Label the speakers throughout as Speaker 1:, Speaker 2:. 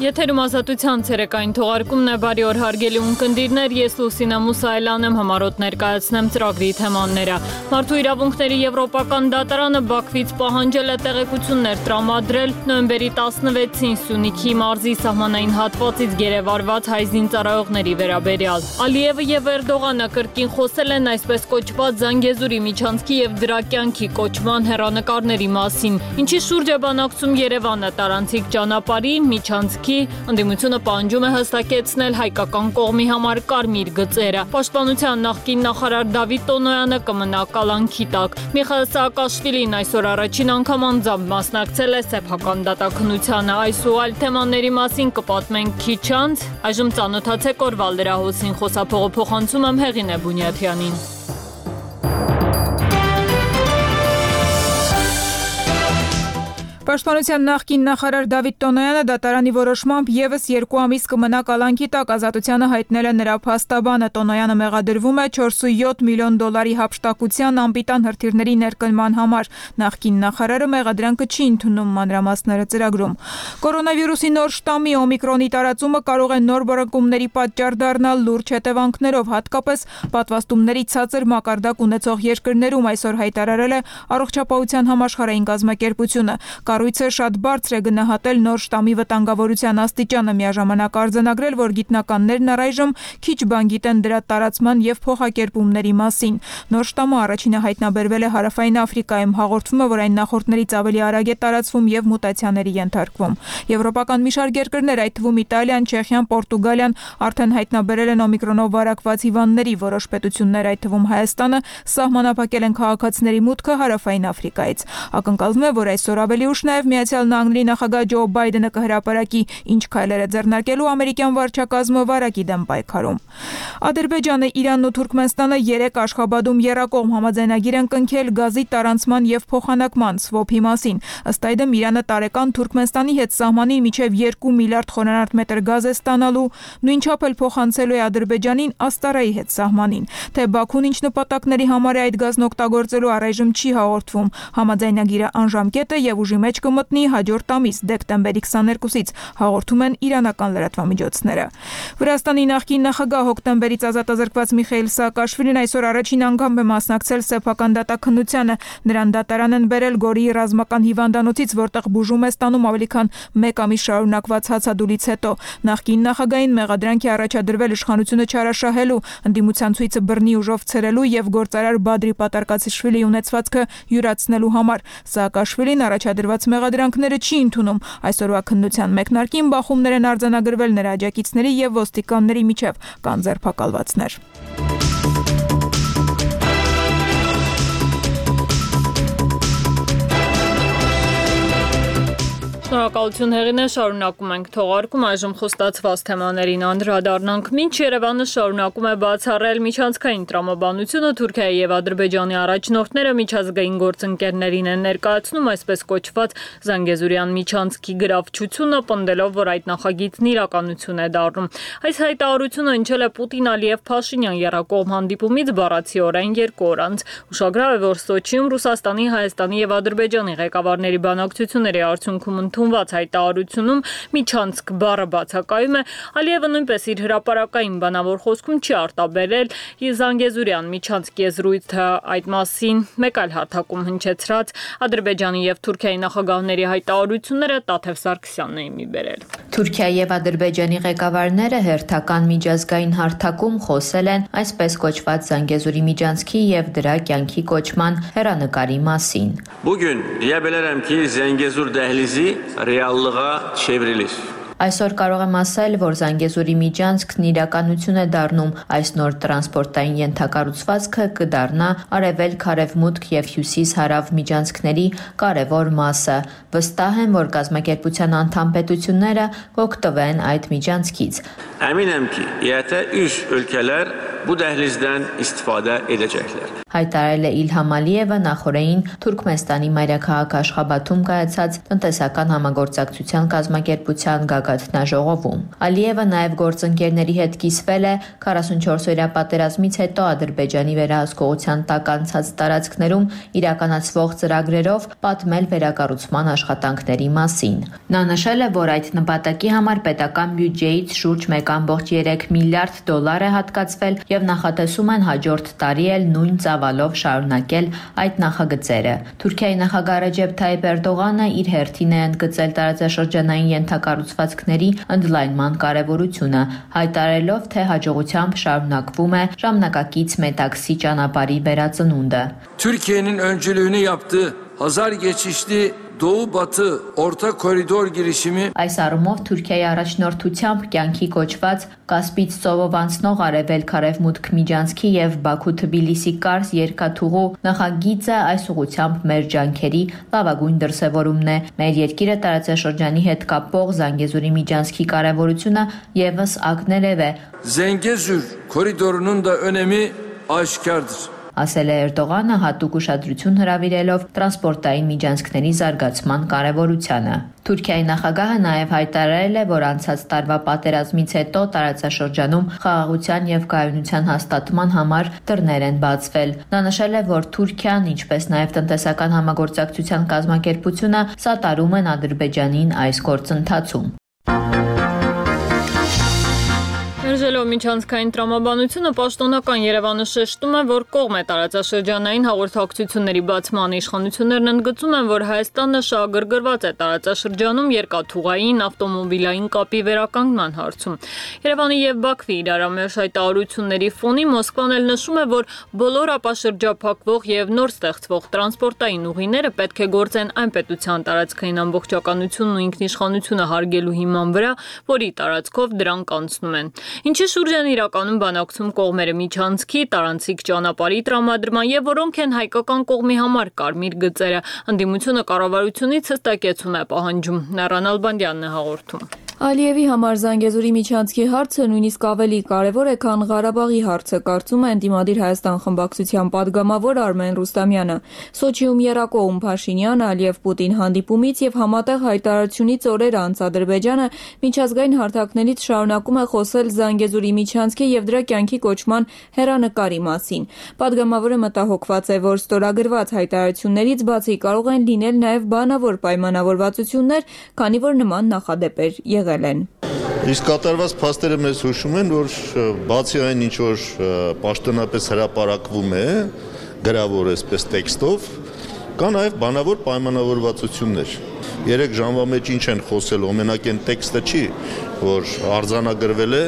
Speaker 1: Եթերում ազատության ցերեկային թողարկումն է, բարի օր հարգելի ունկնդիրներ, ես Լուսինա Մուսայելյան եմ, համառոտ ներկայացնեմ ծրագրի թեմաները։ Մարդու իրավունքների եվրոպական դատարանը Բաքվից պահանջել է տեղեկություններ տրամադրել նոյեմբերի 16-ին Սյունիքի մարզի սահմանային հատվածից գերեվարված հայ զինծառայողների վերաբերյալ։ Ալիևը եւ Էրդողանը կրկին խոսել են այսպես կոչված Զանգեզուրի միջանցքի եւ դրա կյանքի կոչման հեռանկարների մասին, ինչի շուրջ է բանակցում Երևանը տարանցիկ ճանապարհի միջանցքի ընդդիմությունը պահանջում է հստակեցնել հայկական կողմի համար կարմիր գծերը։ Պաշտպանության նախկին նախարար Դավիթ Տոնոյանը կմնա կալանքի տակ։ Միխայիլ Սաակաշվիլին այսօր առաջին անգամ անձամբ մասնակցել է սեփական դատաքննությանը։ Այս ու այլ թեմաների մասին կպատմենք քիչ անց։ Այժմ ծանոթացեք օրվա լրահոսին, խոսափողը փոխանցում եմ Հեղինե Բունյաթյանին։
Speaker 2: Պաշտպանության նախկին նախարար Դավիթ Տոնոյանը դատարանի որոշմամբ եւս 2 ամիս կմնա կալանքի տակ, ազատությանը հայտնել է նրա փաստաբանը։ Տոնոյանը մեղադրվում է 4.7 միլիոն դոլարի հափշտակության անպիտան հրթիռների ներկնման համար։ Նախկին նախարարը մեղադրանքը չի ընդունում, մանրամասները ծրագրում։ Կորոնավիրուսի նոր շտամի օմիկրոնի տարածումը կարող է նոր բռնկումների պատճառ դառնալ լուրջ հետևանքներով, հատկապես պատվաստումների ցածր մակարդակ ունեցող երկրներում, այսօր հայտարարել է Առողջապահության համաշխարհային կազմակերպությունը։ Կառույցը շատ բարձր է գնահատել նոր շտամի վտանգավորության աստիճանը, միաժամանակ արձանագրել, որ գիտնականներն առայժմ քիչ բան գիտեն դրա տարածման եւ փոխակերպումների մասին։ Նոր շտամը առաջինը հայտնաբերվել է Հարավային Աֆրիկայում, հաղորդվում է, որ այն նախորդներից ավելի արագ է տարածվում եւ մուտացիաների ենթարկվում։ Եվրոպական մի շարք երկրներ, այդ թվում Իտալիան, Չեխիան, Պորտուգալիան արդեն հայտնաբերել են օմիկրոնով վարակված հիվանդների, որոշ պետություններ, այդ թվում Հայաստանը, սահմանափակել են քաղաքացիների մուտքը Հարավային Աֆրիկայից։ Ակնկալվում է, որ այսօր ավելի ուշ նաև Միացյալ Նահանգների նախագահ Ջո Բայդենը կհրապարակի ինչ քայլեր է ձեռնարկելու ամերիկյան վարչակազմը վարակի դեմ պայքարում։ Ադրբեջանը, Իրանն ու Թուրքմենստանը 3 Աշխաբադում եռակողմ համաձայնագիր են կնքել գազի տարանցման եւ փոխանակման սվոփի մասին։ Ըստ այդմ Իրանը տարեկան Թուրքմենստանի հետ սահմանին մինչեւ 2 միլիարդ խորանարդ մետր գազ է ստանալու, նույնչափ էլ փոխանցելու է Ադրբեջանին Աստարայի հետ սահմանին։ Թե Բաքուն ինչ նպատակների համար է այդ գազն օգտագործելու, առայժմ չի հաղորդվում։ Համաձայնագիրը անժամկետ է եւ ուժի մեջ կմտնի հաջորդ ամիս դեկտեմբերի 22-ից, հաղորդում են իրանական լրատվամիջոցները։ Վրաստանի նախկին նախագահ հոկտեմբերից ազատազրկված Միխայիլ Սաակաշվիլին այսօր առաջին անգամ է մասնակցել սեփական դատաքննությանը։ Նրան դատարան են բերել Գորիի ռազմական հիվանդանոցից, որտեղ բուժում է ստանում ավելի քան 1 ամիս շարունակված հացադուլից հետո։ Նախկին նախագահին մեղադրանք է առաջադրվել իշխանությունը չարաշահելու, ընդդիմության ցույցը բռնի ուժով ցրելու եւ գործարար Բադրի Պատարկացիշվիլիի ունեցվածքը յուրացնելու համար։ Սաակաշվիլին առաջադրված մեղադրանքները չի ընդունում։ Այսօրվա քննության մեկնարկին բախումներ են արձանագրվել նրա աջակիցների եւ ոստիկանների միջև, կան ձերբակալվածներ։
Speaker 1: Շնորհակալություն Հեղինե, շարունակում ենք թողարկում, այժմ խոստացված թեմաներին անդրադառնանք։ Մինչ Երևանը շարունակում է բացառել միջանցքային տրամաբանությունը, Թուրքիայի եւ Ադրբեջանի առաջնորդները միջազգային գործընկերներին են ներկայացնում այսպես կոչված Զանգեզուրյան միջանցքի գրավչությունը, պնդելով, որ այդ նախագիծն իրականություն է դառնում։ Այս հայտարարությունը հնչել է Պուտին-Ալիև-Փաշինյան եռակողմ հանդիպումից բառացիորեն 2 օր անց։ Ուշագրավ է, որ Սոչիում Ռուսաստանի, Հայաստանի եւ Ադրբեջանի ղեկավարների բանակցությունների արդյունքում ընդունված հայտարարությունում միջանցք բառը բացակայում է։ Ալիևը նույնպես իր հրապարակային բանավոր խոսքում չի արտաբերել Զանգեզուրյան միջանցքի եզրույթը, այդ մասին մեկ այլ հարթակում հնչեցրած Ադրբեջանի եւ Թուրքիայի նախագահների հայտարարությունները Տաթև Սարգսյանն է մի բերել։
Speaker 3: Թուրքիայի եւ Ադրբեջանի ղեկավարները հերթական միջազգային հարթակում խոսել են այսպես կոչված Զանգեզուրի միջանցքի եւ դրա կյանքի կոչման հեռանկարի մասին։
Speaker 4: Bugün diyebilirim ki Zengezur dehlizi reallığa çevrilir.
Speaker 3: Այսօր կարող եմ ասել, որ Զանգեզուրի միջանցքն իրականություն է դառնում, այս նոր տրանսպորտային ենթակառուցվածքը կդառնա արևելք-արևմուտք եւ հյուսիս-հարավ միջանցքների կարևոր մասը։ Վստահ եմ, որ կազմակերպության անդամ պետությունները կօգտվեն այդ միջանցքից։
Speaker 4: Əminəm ki, ET üç ülkeler bu dəhlizdən istifadə edəcəklər.
Speaker 3: Հայտարարել է Իլհամ Ալիևը նախորդին Թուրքմենստանի մայրաքաղաք Աշխաբադում կայացած տնտեսական համագործակցության կազմակերպության քթնաժողովում։ Ալիևը նաև գործընկերների հետ կիսվել է 44-օրյա պատերազմից հետո Ադրբեջանի վերահսկողության տակ անցած տարածքներում իրականացվող ծրագրերով պատմել վերակառուցման աշխատանքների մասին։ Նա նշել է, որ այդ նպատակի համար պետական բյուջեից շուրջ 1.3 միլիարդ դոլար է հատկացվել եւ նախատեսում են հաջորդ տարի էլ նույն ծավալով շարունակել այդ նախագծերը։ Թուրքիայի նախագահ Ռեջեփ Թայիփ Էրդողանը իր հերթին է ընդգծել տարածաշրջանային ենթակառուցվածքների ընդլայնման կարևորությունը, հայտարարելով, թե հաջողությամբ şarunakվում է ժամանակակից Մետաքսի ճանապարհի վերածնունդը։
Speaker 5: Türkiye'nin öncülüğünü yaptığı Hazar geçişli Doğu-Batı Orta Koridor girişimi
Speaker 3: Այս առումով Թուրքիայի առաջնորդությամբ կյանքի կոչված Կասպից ծովով անցնող արևելք-արևմուտք միջանցքի եւ Բաքու-Թբիլիսի կարս երկաթուղու նախագիծը այս ուղղությամբ մեր ջանքերի լավագույն դրսևորումն է։ Մեր երկիրը տարածաշրջանի հետ կապող Զանգեզուրի միջանցքի կարևորությունը եւս ակներև է։
Speaker 5: Zengezur koridorunun da önemi aşikardır.
Speaker 3: Ասել է Էրդողանը հատուկ ուշադրություն հրավիրելով տրանսպորտային միջանցքների զարգացման կարևորությանը։ Թուրքիայի նախագահը նաև հայտարարել է, որ անցած տարվա պատերազմից հետո տարածաշրջանում խաղաղության եւ կայունության հաստատման համար դռներ են բացվել։ Նա նշել է, որ Թուրքիան, ինչպես նաև տնտեսական համագործակցության կազմակերպությունը սատարում են Ադրբեջանին այս գործընթացում։
Speaker 1: Մերժելով միջանցքային տրամաբանությունը, պաշտոնական Երևանը շեշտում է, որ կողմ է տարածաշրջանային հաղորդակցությունների բացման իշխանություններն ընդգծում են, որ Հայաստանը շահագրգռված է տարածաշրջանում երկաթուղային, ավտոմոբիլային կապի վերականգնման հարցում։ Երևանի եւ Բաքվի իրարամերժ հայտարարությունների ֆոնին Մոսկվան էլ նշում է, որ բոլոր ապաշրջափակվող եւ նոր ստեղծվող տրանսպորտային ուղիները պետք է գործեն այն պետության տարածքային ամբողջականությունն ու ինքնիշխանությունը հարգելու հիման վրա, որի տարածքով դրանք անցնում են։ Ինչի շուրջ են իրականում բանակցում կողմերը միջանցքի, տարանցիկ ճանապարհի տրամադրման եւ որոնք են հայկական կողմի համար կարմիր գծերը, ընդդիմությունը կառավարությունից հստակեցում է պահանջում։ Նարան Ալբանդյանն է հաղորդում։
Speaker 6: Ալիևի համար Զանգեզուրի միջանցքի հարցը նույնիսկ ավելի կարևոր է, քան Ղարաբաղի հարցը, կարծում է ընդդիմադիր Հայաստան խմբակցության падգամավոր Արմեն Ռուստամյանը։ Սոչիում եռակողմ Փաշինյան, Ալիև-Պուտին հանդիպումից եւ համատեղ հայտարարությունից օրեր անց Ադրբեջանը միջազգային հարթակներից շարունակում է խոսել Զանգեզուրի միջանցքի եւ դրա կյանքի կոչման հեռանկարի մասին։ Падգամավորը մտահոգված է, որ ստորագրված հայտարարություններից բացի կարող են լինել նաեւ բանավոր պայմանավորվածություններ, քանի որ նման նախադեպեր եղել են։
Speaker 7: Իսկ կատարված փաստերը մեզ հուշում են, որ բացի այն ինչ որ պաշտոնապես հրապարակվում է, գրավոր այսպես տեքստով, կա նաև բանավոր պայմանավորվածություններ։ 3 ժամվա մեջ ինչ են խոսել, օրինակ այն տեքստը չի, որ արձանագրվել է,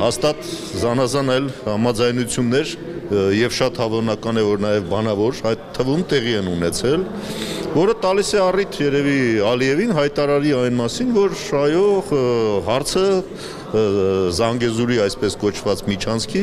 Speaker 7: հաստատ զանազան այլ համաձայնություններ եւ շատ հավանական է, որ նաև բանավոր այդ թվում տեղի են ունեցել, որը տալիս է առիթ երևի Ալիևին հայտարարի այն մասին, որ այո, հարցը Զանգեզուրի այսպես կոչված միջանցքի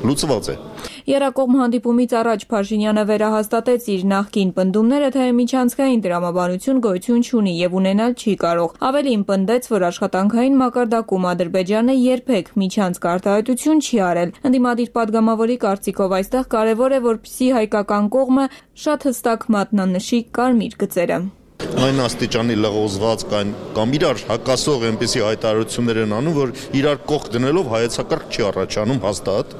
Speaker 7: լուծված է։
Speaker 6: Եռակողմ հանդիպումից առաջ Փաշինյանը վերահաստատեց իր նախկին պնդումները, թե միջանցքային տրամաբանություն գոյություն չունի եւ ունենալ չի կարող։ Ավելին պնդեց, որ աշխատանքային մակարդակում Ադրբեջանը երբեք միջանցք արտահայտություն չի արել։ Ընդդիմադիր падգամավորի կարծիքով այստեղ կարևոր է, որպեսզի հայկական կողմը շատ հստակ մատնանշի կարմիր գծերը։
Speaker 7: Այն աստիճանի լղոզված կամ իրար հակասող այնպիսի հայտարարություններ են անում, որ իրար կողք դնելով հայեցակարգ չի առաջանում հաստատ,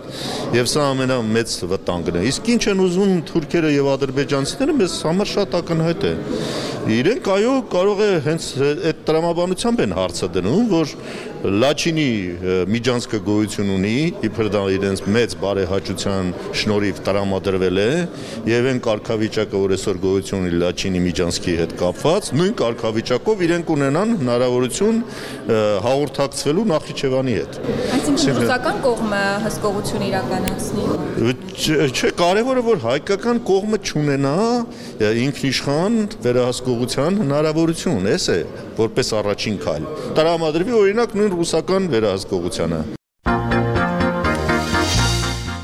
Speaker 7: եւ սա ամենամեծ վտանգն է։ Իսկ ինչ են ուզում թուրքերը եւ ադրբեջանցիները, մեզ համար շատ ակնհայտ է։ Իրենք այո կարող է հենց այդ տրամաբանությամբ են հարցը դնում, որ Լաչինի միջանցքը գոյություն ունի, իբր դա իրենց մեծ բարեհաճության շնորհիվ տրամադրվել է, եւ այն կարգավիճակը, որ այսօր գոյություն ունի Լաչինի միջանցքի հետ կապված, նույն կարգավիճակով իրենք ունենան հնարավորություն հաղորդակցվելու Նախիջևանի հետ։
Speaker 6: Այսինքն ռուսական կողմը հսկողություն իրականացնի։
Speaker 7: Չէ, կարևորը որ հայկական կողմը չունենա ինքնիշխան վերահսկողության հնարավորություն, էս է, որպես առաջին քայլ։ Տրամադրվի օրինակ նույն ռուսական վերահսկողությանը։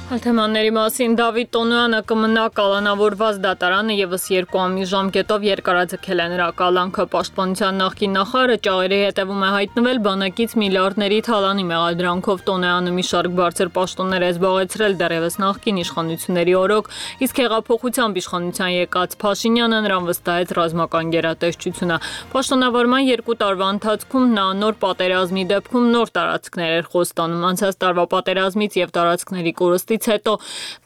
Speaker 1: Թեմաների մասին Դավիթ Տոնոյանը կմնա կալանավորված դատարանը եւս 2 ամիս ժամկետով երկարաձգել է նրա կալանքը պաշտպանության նախկին նախարարը ճաղերի հետևում է հայտնվել բանակից միլիարդների թալանի մեղադրանքով Տոնոյանը մի շարք բարձր պաշտոններ է զբաղեցրել դեռևս նախկին իշխանությունների օրոք իսկ հեղափոխությամբ իշխանության եկած Փաշինյանը նրան վստահեց ռազմական գերատեսչությունը պաշտոնավարման 2 տարվա ընթացքում նա նոր պատերազմի դեպքում նոր տարածքներ էր խոստանում անցած տարվա պատերազմից եւ տարածքների կորստի հետո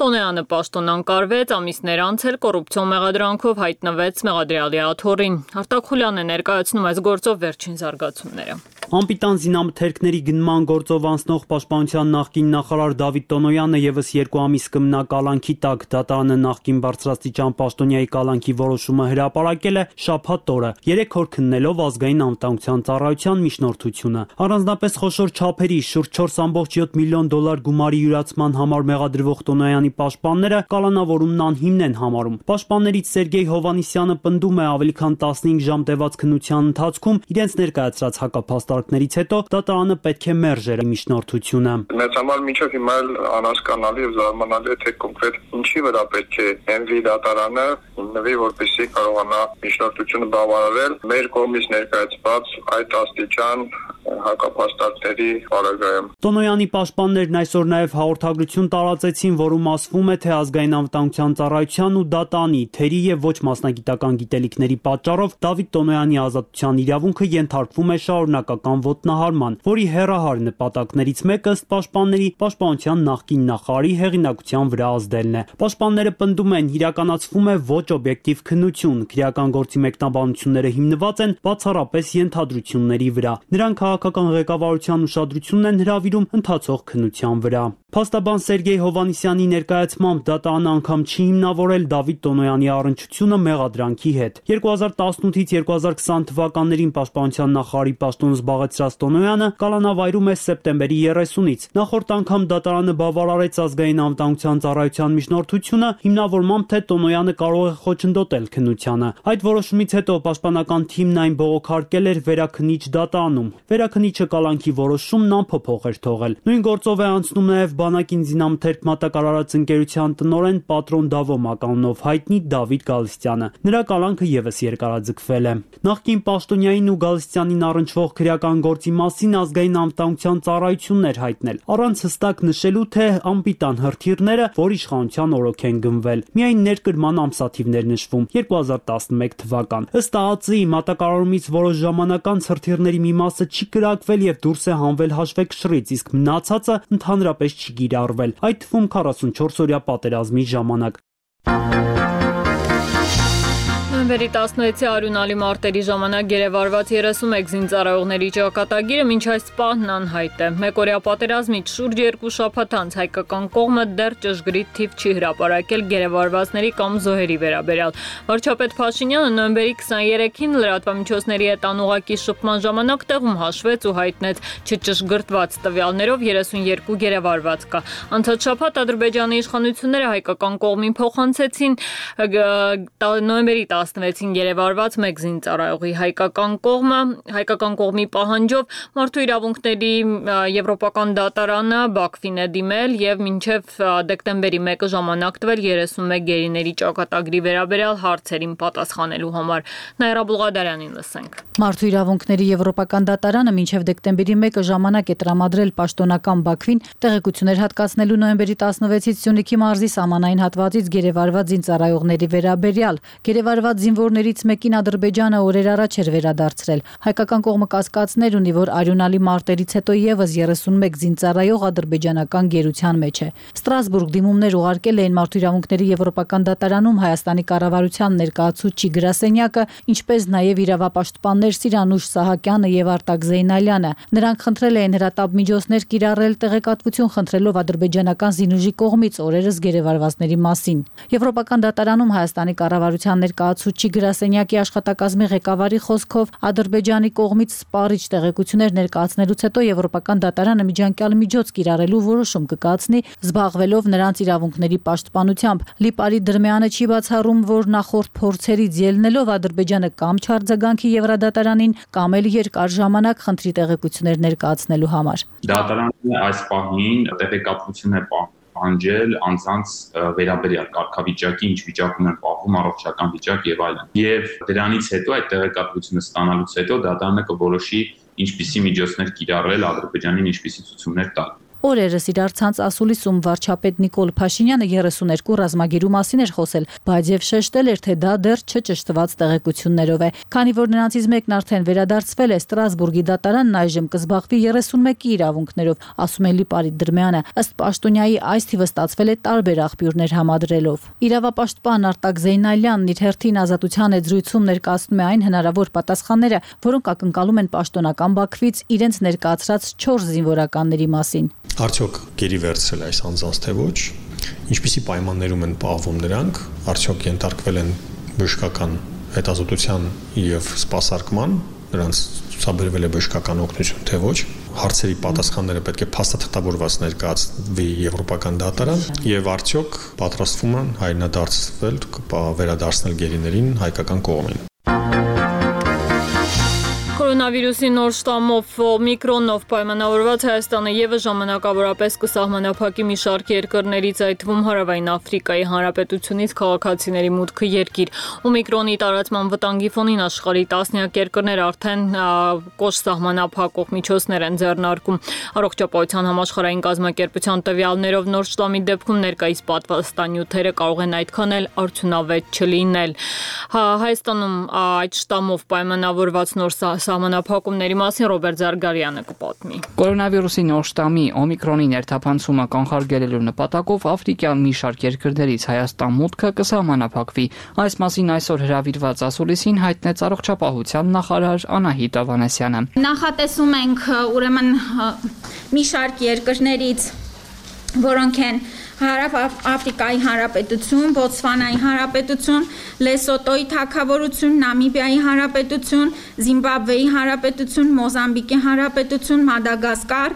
Speaker 1: Տոնոյանը պաշտոն անկարվեց, ամիսներ անց էլ կոռուպցիոն մեղադրանքով հայտնվեց մեղադրյալի աթոռին։ Արտակ Խուլյանն է ներկայացնում այս գործով վերջին զարգացումները։
Speaker 8: Անպիտան զինամթերքների գնման գործով անցնող պաշտպանության նախկին նախարար Դավիթ Տոնոյանը եւս 2 ամիս կմնա կալանքի տակ դատարանը նախկին բարձրաստիճան պաշտոնյայի կալանքի որոշումը հրապարակել է շաբաթ օրը 3 օր քննելով ազգային անվտանգության ծառայության միջնորդությունը առանձնապես խոշոր չափերի շուրջ 4.7 միլիոն դոլար գումարի յուրացման համար մեղադրվող Տոնոյանի պաշտպանները կալանավորումն անհիմն են համարում պաշտպաններից Սերգեյ Հովանիսյանը պնդում է ավելի քան 15 ժամ տևած քննության ընթացքում իրենց ներկայացրած հակափաստարկներից հետո դատարանը պետք է մերժեր միջնորդությունը
Speaker 9: Մեծ համար մինչև հիմա էլ անհասկանալի եւ զարմանալի է թե կոնկրետ ինչի վրա պետք է հենվի դատարանը հիմնվի որպեսզի կարողանա միջնորդությունը բավարարել մեր կողմից ներկայացված այդ աստիճան հակափաստարկների պարագայում
Speaker 8: Տոնոյանի պաշտպաններն այսօր նաև հաղորդագրություն տարածեցին, որում ասվում է, թե ազգային անվտանգության ծառայության ու դատանի թերի եւ ոչ մասնագիտական գիտելիքների պատճառով Դավիթ Տոնոյանի ազատության իրավունքը ենթարկվում է շարունակական ոտնահարման, որի հեռահար նպատակներից մեկը ըստ պաշտպանների պաշտպանության նախկին նախարարի հեղինակության վրա ազդելն է։ Պաշտպանները պնդում են, իրականացվում է ոչ օբյեկտիվ քննություն, քրեական գործի մեկնաբանությունները հիմնված են բացառապես ենթադրությունների վրա։ Նրանք քաղաքական ղեկավարության ուշադրությունն են հրավիրում ընթացող քննության վրա։ Փաստաբան Սերգեյ Հովանիսյանի ներկայացմամբ դատարանը անգամ չի հիմնավորել Դավիթ Տոնոյանի առնչությունը մեղադրանքի հետ։ 2018-ից 2020 թվականներին պաշտպանության նախարարի պաշտոն զբաղեցրած Տոնոյանը կալանավայրում է սեպտեմբերի 30-ից։ Նախորդ անգամ դատարանը բավարարեց ազգային անվտանգության ծառայության միջնորդությունը հիմնավորմամբ թե Տոնոյանը կարող է խոչընդոտել քննությանը։ Այդ որոշումից հետո պաշտպանական թիմն այն բողոքարկել էր վերաքննիչ դատարանում։ Վերաքննիչը կալանքի որոշումն անփոփոխ էր թողել։ Նույն գործով է անցնում նաև բանակին զինամթերք մատակարարած ընկերության տնօրեն Պատրոն Դավո մականունով հայտնի Դավիթ Գալստյանը։ Նրա կալանքը եւս երկարաձգվել է։ Նախկին պաշտոնյային ու Գալստյանին առնչվող քրեական գործի մասին ազգային անվտանգության ծառայությունն էր հայտնել, առանց հստակ նշելու, թե անպիտան հրթիռները որ իշխանության օրոք են գնվել։ Միայն ներկրման ամսաթիվներ նշվում 2011 թվական։ Ըստ ԱԱԾ-ի մատակարարումից որոշ ժամանակ անց հրթիռների մի մասը չի կրակվել եւ դուրս է հանվել հաշվեկշռից, իսկ մնացածը ընդհանրապես չի գիրառվել, այդ թվում 44-օրյա պատերազմի ժամանակ։
Speaker 1: Նոյեմբերի 16-ի արյունալի մարտերի ժամանակ գերեվարված 31 զինծառայողների ճակատագիրը մինչ այս պահն անհայտ է։ Մեկօրյա պատերազմից շուրջ 2 շաբաթ անց հայկական կողմը դեռ ճշգրիտ թիվ չի հրապարակել գերեվարվածների կամ զոհերի վերաբերյալ։ Վարչապետ Փաշինյանը նոյեմբերի 23-ին լրատվամիջոցների հետ անուղակի շփման ժամանակ տեղում հաշվեց ու հայտնեց չճշգրտված տվյալներով 32 գերեվարված կա։ Անցած շաբաթ Ադրբեջանի իշխանությունները հայկական կողմին փոխանցեցին նոյեմբերի 16-ին գերեվարված մեկ զինծառայողի հայկական կողմի պահանջով մարդու իրավունքների եվրոպական դատարանը Բաքվին է դիմել եւ մինչեւ դեկտեմբերի 1-ը ժամանակ տվել 31 գերիների ճակատագրի վերաբերյալ հարցերին պատասխանելու համար։ Նաիրա Բուլղադարյանին լսենք։
Speaker 10: Մարդու իրավունքների եվրոպական դատարանը մինչեւ դեկտեմբերի 1-ը ժամանակ է տրամադրել պաշտոնական Բաքվին տեղեկություններ հատկացնելու նոյեմբերի 16-ից Սյունիքի մարզի սահմանային հատվածից գերեվարված զինծառայողների վերաբերյալ։ Գերեվարված զինվորներից մեկին Ադրբեջանը օրեր առաջ էր վերադարձրել։ Հայկական կողմը կասկածներ ունի, որ արյունալի մարտերից հետո եւս 31 զինծառայող ադրբեջանական գերության մեջ է։ Ստրասբուրգ դիմումներ ուղարկել էին մարդու իրավունքների եվրոպական դատարանում Հայաստանի կառավարության ներկայացուցիչ գրասենյակը, ինչպես նաեւ իրավապաշտպաններ Սիրանուշ Սահակյանը եւ Արտակ Զեյնալյանը։ Նրանք խնդրել էին հրատապ միջոցներ կիրառել տեղեկատվություն խնդրելով ադրբեջանական զինուժի կողմից օրերս գերեվարվածների մասին։ Եվրոպական դատարանում Հայաստանի կառավարության ներկայացուցիչ գրասենյակի աշխատակազմի ղեկավարի խոսքով Ադրբեջանի կողմից սպառիչ տեղեկություններ ներկայացնելուց հետո Եվրոպական դատարանը միջանկյալ միջոց կիրառելու որոշում կկայացնի, զբաղվելով նրանց իրավունքների պաշտպանությամբ։ Լիպարի Դրմյանը չի բացառում, որ նախորդ փորձերից ելնելով Ադրբեջանը կամ չարձագանքի Եվրադատարանին, կամ էլ երկար ժամանակ խնդրի տեղեկություններ ներկայացնելու համար։
Speaker 11: Դատարանը այս պահին տեղեկատվություն է պահանջել անձանց վերաբերյալ կարգավիճակի, ինչ վիճակում են պահվում, առողջական վիճակ եւ այլն։ Եվ դրանից հետո այդ տեղեկատվությունը ստանալուց հետո դատարանը կորոշի ինչպիսի միջոցներ կիրառել Ադրբեջանին, ինչպիսի ցուցումներ տալ։
Speaker 10: Օրերս իրար ցանց ասուլիսում վարչապետ Նիկոլ Փաշինյանը 32 ռազմագերու մասին էր խոսել, բայց եւ շեշտել էր, թե դա դեռ չճշտված տեղեկություններով է։ Քանի որ նրանցից մեկն արդեն վերադարձվել է Ստրասբուրգի դատարանն, այժմ կզբաղվի 31-ի իրավունքներով, ասում է Լիպարիտ Դրմյանը։ Ըստ պաշտոնյայի այս թիվը ստացվել է տարբեր աղբյուրներ համադրելով։ Իրավապաշտպան Արտակ Զեյնալյանն իր հերթին Ազատության զրույցում ներկայացնում է այն հնարավոր պատասխանները, որոնք ակնկալում են պաշտոնական Բաքվից իրենց ներկայացրած 4 զինվորականների մասին։
Speaker 12: Արդյոք գերի վերցրել այս անձանց թե ոչ, ինչպիսի պայմաններում են պահվում նրանք, արդյոք ենթարկվել են բժշկական հետազոտության եւ սպասարկման, նրանց ցուցաբերվել է բժշկական օգնություն թե ոչ, հարցերի պատասխանները պետք է փաստաթղթավորված ներկայացվի Եվրոպական դատարան եւ արդյոք պատրաստվում են հայրենադարձվել, վերադարձնել գերիներին հայկական կողմին։
Speaker 1: Կորոնավիրուսի նոր շտամով Օմիկրոնով պայմանավորված Հայաստանը եւս ժամանակավորապես կսահմանափակի մի շարք երկրներից, այդ թվում Հարավային Աֆրիկայի Հանրապետությունից քաղաքացիների մուտքը երկիր։ Օմիկրոնի տարածման վտանգի ֆոնին աշխարհի տասնյակ երկրներ արդեն կոշտ սահմանափակող միջոցներ են ձեռնարկում։ Առողջապահության համաշխարհային կազմակերպության տվյալներով նոր շտամի դեպքում ներկայիս պատվաստանյութերը կարող են այդքան էլ արդյունավետ չլինել։ Հայաստանում այդ շտամով պայմանավորված նոր սահմանափակումների մասին Ռոբերտ Զարգարյանը կպատմի։
Speaker 13: Կորոնավիրուսի նոր շտամի Օմիկրոնի ներթափանցումը կանխարգելելու նպատակով աֆրիկյան մի շարք երկրներից Հայաստան մուտքը կսահմանափակվի։ Այս մասին այսօր հրավիրված ասուլիսին հայտնեց առողջապահության նախարար Անահիտ Ավանեսյանը։
Speaker 14: Նախատեսում ենք ուրեմն մի շարք երկրներից, որոնք են Հարավ Աֆրիկայի Հանրապետություն, Բոտսվանայի Հանրապետություն, Լեսոտոյի Թագավորություն, Նամիբիայի Հանրապետություն, Զիմբաբվեի Հանրապետություն, Մոզամբիկի Հանրապետություն, Մադագասկար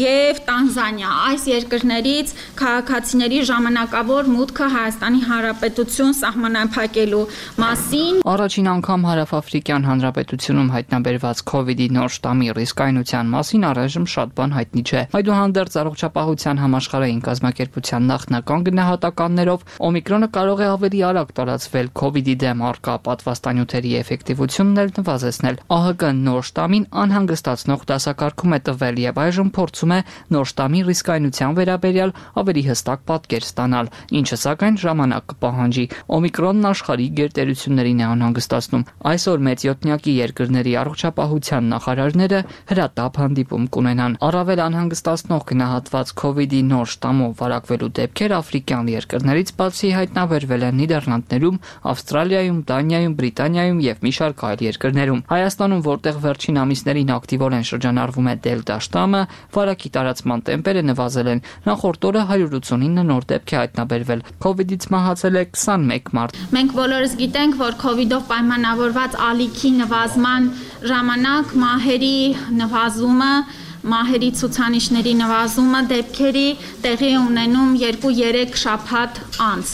Speaker 14: եւ Տանզանիա։ Այս երկրներից քաղաքացիների ժամանակավոր մուտքը Հայաստանի Հանրապետություն սահմանափակելու մասին։
Speaker 13: Առաջին անգամ Հարավ-Աֆրիկյան Հանրապետությունում հայտնաբերված COVID-ի նոր շտամի ռիսկայնության մասին առայժմ շատ բան հայտնի չէ։ Այդուհանդերձ առողջապահության համաշխարհային կազմակերպության նախնական գնահատականներով Օմիկրոնը կարող է ավելի արագ տարածվել COVID-ի դեմ առկա պատվաստանյութերի էֆեկտիվությունն էլ նվազեցնել։ ԱՀԿ-ն նոր շտամին անհանգստացնող դասակարգում է տվել եւ այժմ փորձում է նոր շտամի ռիսկայնության վերաբերյալ ավելի հստակ պատկեր ստանալ, ինչը սակայն ժամանակ կպահանջի։ Օմիկրոնն աշխարհի գերտերություններին է անհանգստացնում։ Այսօր մեծ յոթնյակի երկրների առողջապահության նախարարները հրատապ հանդիպում կունենան։ Առավել անհանգստացնող գնահատված COVID-ի նոր շտամով վարակվելու դեպքեր աֆրիկյան երկրներից բացի հայտնաբերվել են Նիդերլանդներում, Ավստրալիայում, Դանիայում, Բրիտանիայում եւ մի շարք այլ երկրներում։ Հայաստանում, որտեղ վերջին ամիսներին ակտիվորեն շրջանառվում է դելտա շտամը, վարակի տարածման տեմպերը նվազել են։ Նախորդ օրը 189 նոր դեպք է հայտնաբերվել։ COVID-ից մահացել է 21 մարդ։
Speaker 14: Մենք բոլորս գիտենք, որ COVID-ով պայմանավորված ալիքի նվազման ժամանակ մահերի նվազումը, մահերի ցուցանիշների նվազումը դեպքերի տեղի ունենում 2-3 շաբաթ անց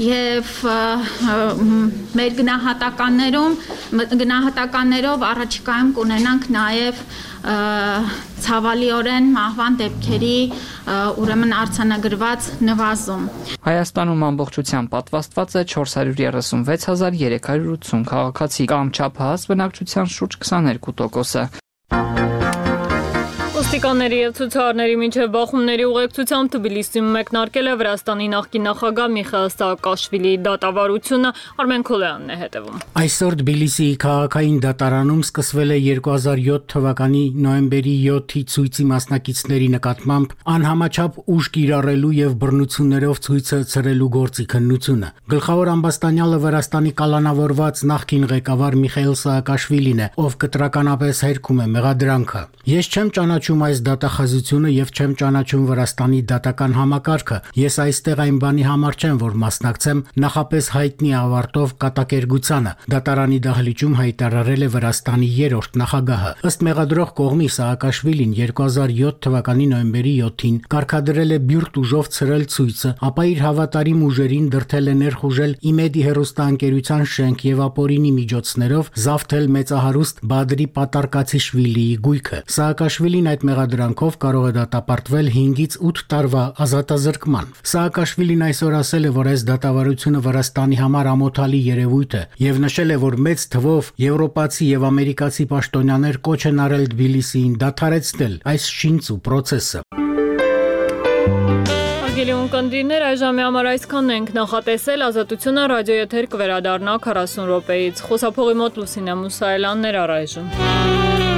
Speaker 14: եւ մեր գնահատականներով առաջիկայում կունենանք նաեւ ցավալիորեն մահվան դեպքերի ուրեմն արձանագրված նվազում։
Speaker 13: Հայաստանում ամբողջությամբ պատվաստված է 436,380 քաղաքացի կամ չափահաս բնակչության շուրջ 22%-ը։
Speaker 1: Ոստիկանների եւ ցուցարարների միջև բախումների ուղեկցությամբ Թբիլիսիում մեկնարկել է Վրաստանի նախկին նախագահ Միխայիլ Սաակաշվիլիի դատավարությունը։ Արմեն Քոլյանն է հետևում։
Speaker 15: Այսօր Թբիլիսիի քաղաքային դատարանում սկսվել է 2007 թվականի նոյեմբերի 7-ի ցույցի մասնակիցների նկատմամբ անհամաչափ ուժ կիրառելու եւ բռնություններով ցույցը ցրելու գործի քննությունը։ Գլխավոր ամբաստանյալը Վրաստանի կալանավորված նախկին ղեկավար Միխայիլ Սաակաշվիլին է, ով կտրականապես հերքում է մեղադրանքը։ Ես չեմ ճանաչում այս դատախազությունը եւ չեմ ճանաչում Վրաստանի դատական համակարգը։ Ես այստեղ այն բանի համար չեմ, որ մասնակցեմ նախապես հայտնի ավարտով կատակերգությանը։ Դատարանի դահլիճում հայտարարել է Վրաստանի 3-րդ նախագահը։ Ըստ մեղադրող կողմի Սաակաշվիլին 2007 թվականի նոյեմբերի 7-ին կարգադրել է բյուրտ ուժով ցրել ցույցը, ապա իր հավատարիմ ուժերին դրդել է ներխուժել Իմեդի հեռուստաընկերության շենք եւ ապօրինի միջոցներով զավթել մեծահարուստ Բադրի Պատարկացիշվիլիի գույքը։ Սաակաշվիլին այդ մեղադրանքով կարող է դատապարտվել 5-ից 8 տարվա ազատազրկման։ Սաակաշվիլին այսօր ասել է, որ այս դատավարությունը Վրաստանի համար ամոթալի երևույթ է եւ նշել է, որ մեծ թվով եվրոպացի եւ ամերիկացի պաշտոնյաներ կոչ են արել Թբիլիսիին դադարեցնել այս շինծ ու process-ը։
Speaker 1: Հարգելի ունկնդիրներ, այժմ համար այսքանն ենք նախատեսել, Ազատությունը ռադիոեթեր կվերադառնա 40 րոպեից։ Խոսափողի մոտ Լուսինե Մուսայելյանն էր առայժմ։